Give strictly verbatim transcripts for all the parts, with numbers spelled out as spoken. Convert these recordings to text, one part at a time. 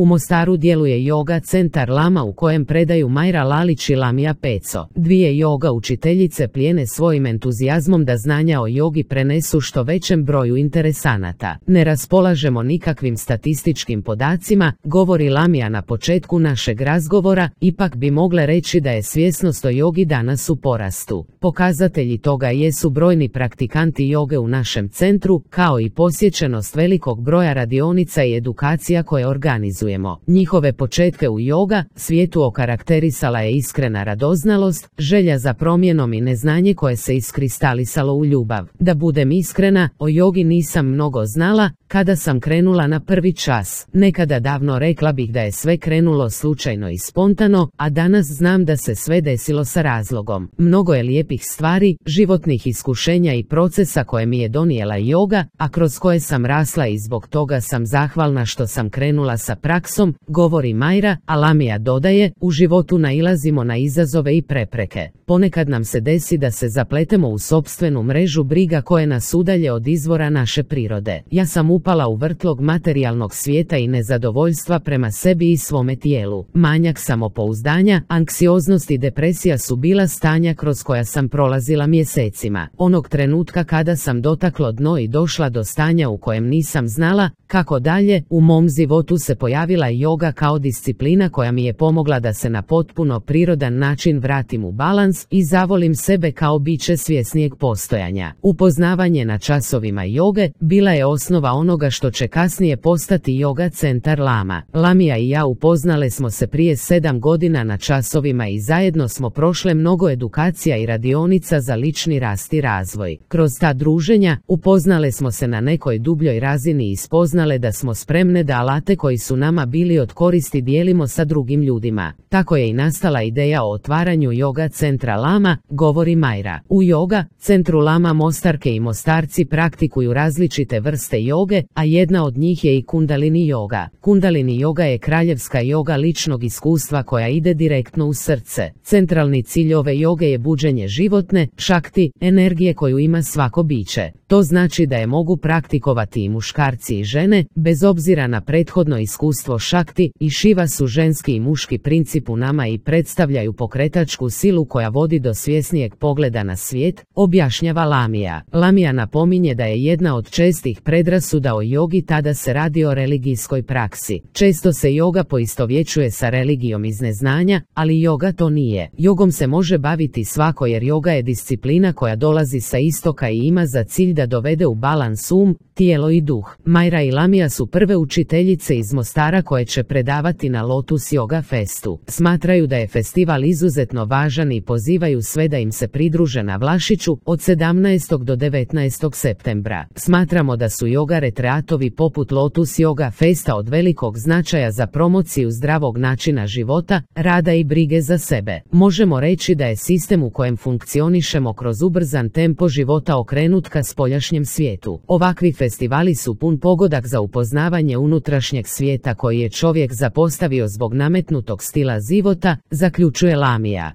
U Mostaru djeluje Yoga centar Lama u kojem predaju Majra Lalić i Lamija Peco. Dvije yoga učiteljice plijene svojim entuzijazmom da znanja o jogi prenesu što većem broju interesanata. Ne raspolažemo nikakvim statističkim podacima, govori Lamija na početku našeg razgovora, ipak bi mogle reći da je svjesnost o jogi danas u porastu. Pokazatelji toga jesu brojni praktikanti joge u našem centru, kao i posjećenost velikog broja radionica i edukacija koje organizujemo. Njihove početke u joga svijetu okarakterisala je iskrena radoznalost, želja za promjenom i neznanje koje se iskristalisalo u ljubav. Da budem iskrena, o jogi nisam mnogo znala kada sam krenula na prvi čas. Nekada davno rekla bih da je sve krenulo slučajno i spontano, a danas znam da se sve desilo sa razlogom. Mnogo je lijepih stvari, životnih iskušenja i procesa koje mi je donijela joga, a kroz koje sam rasla i zbog toga sam zahvalna što sam krenula sa praksom, govori Majra, a Lamija dodaje, u životu nailazimo na izazove i prepreke. Ponekad nam se desi da se zapletemo u sopstvenu mrežu briga koje nas udalje od izvora naše prirode. Ja sam upala u vrtlog materijalnog svijeta i nezadovoljstva prema sebi i svome tijelu. Manjak samopouzdanja, anksioznost i depresija su bila stanja kroz koja sam prolazila mjesecima. Onog trenutka kada sam dotaklo dno i došla do stanja u kojem nisam znala kako dalje, u mom životu se pojavila joga kao disciplina koja mi je pomogla da se na potpuno prirodan način vratim u balans i zavolim sebe kao biće svjesnijeg postojanja. Upoznavanje na časovima joge bila je osnova onoga što će kasnije postati Yoga centar Lama. Lamija i ja upoznale smo se prije sedam godina na časovima i zajedno smo prošle mnogo edukacija i radionica za lični rast i razvoj. Kroz ta druženja upoznale smo se na nekoj dubljoj razini i spoznale da smo spremne da alate koji su nama bili od koristi dijelimo sa drugim ljudima. Tako je i nastala ideja o otvaranju Yoga centra Lama, govori Majra. U Yoga centru Lama Mostarke i Mostarci praktikuju različite vrste joge, a jedna od njih je i Kundalini joga. Kundalini joga je kraljevska joga ličnog iskustva koja ide direktno u srce. Centralni cilj ove joge je buđenje životne, šakti, energije koju ima svako biće. To znači da je mogu praktikovati i muškarci i žene, bez obzira na prethodno iskustvo šakti, i šiva su ženski i muški princip u nama i predstavljaju pokretačku silu koja vodi do svjesnijeg pogleda na svijet, objašnjava Lamija. Lamija napominje da je jedna od čestih predrasuda o jogi tada se radi o religijskoj praksi. Često se joga poistovjećuje sa religijom iz neznanja, ali joga to nije. Jogom se može baviti svako jer joga je disciplina koja dolazi sa istoka i ima za cilj da dovede u balans um, tijelo i duh. Majra i Lamija su prve učiteljice iz Mostara koje će predavati na Lotus Yoga Festu. Smatraju da je festival izuzetno važan i pozivaju sve da im se pridruže na Vlašiću od sedamnaestog do devetnaestog septembra. Smatramo da su yoga retreatovi poput Lotus Yoga Festa od velikog značaja za promociju zdravog načina života, rada i brige za sebe. Možemo reći da je sistem u kojem funkcionišemo kroz ubrzan tempo života okrenut ka spoljašnjem svijetu. Ovakvi festivali su pun pogodak za upoznavanje unutrašnjeg svijeta koji je čovjek zapostavio zbog nametnutog stila života, zaključuje Lamija.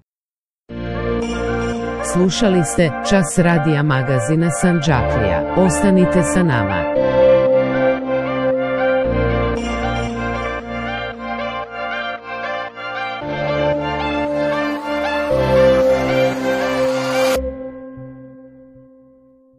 Slušali ste Čas radija magazina Sandžaklija. Ostanite sa nama.